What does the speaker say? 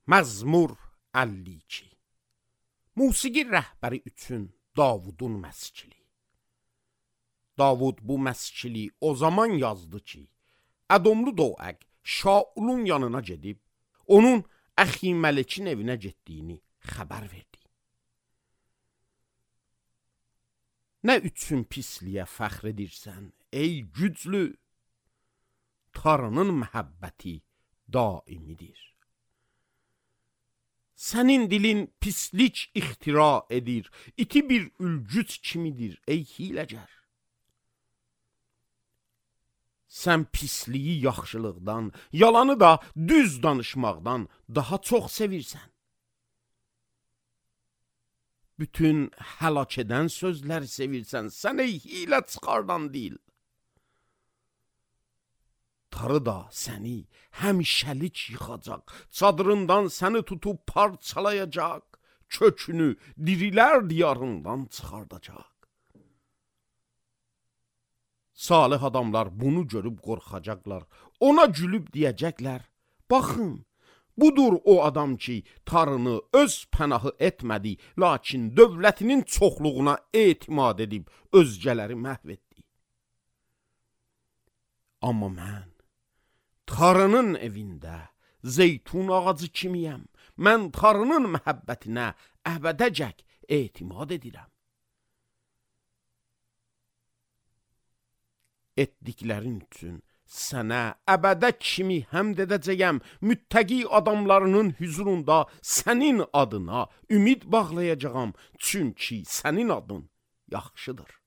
Məzmur 52. Musiqi rəhbəri üçün Davudun məskili. Davud bu məskili o zaman yazdı ki, Ədomlu Doeg Şaulun yanına gedib, onun Əximələkin evinə getdiyini xəbər verdi. Nə üçün pisliyə fəxr edirsən, ey güclü? Tanrının məhəbbəti daimidir. Sənin dilin pislik ixtira edir, iti bir ülgüc kimidir, ey hiləgər. Sən pisliyi yaxşılıqdan, yalanı da düz danışmaqdan daha çox sevirsən. Bütün həlak edən sözləri sevirsən, sən ey hilə çıxardan dil. Tarı da səni həmişəlik yıxacaq, çadırından səni tutub parçalayacaq, kökünü dirilər diyarından çıxardacaq. Salih adamlar bunu görüb qorxacaqlar, ona gülüb deyəcəklər, baxın, budur o adam ki, tarını öz pənahı etmədi, lakin dövlətinin çoxluğuna etimad edib, özgələri məhv etdi. Amma mən, tarının evində zeytun ağacı kimiyəm, mən tarının məhəbbətinə əbədəcək etimad edirəm. Etdiklərin üçün sənə əbədə kimi həmd edəcəyəm, müttəqi adamlarının hüzurunda sənin adına ümid bağlayacağam, çünki sənin adın yaxşıdır.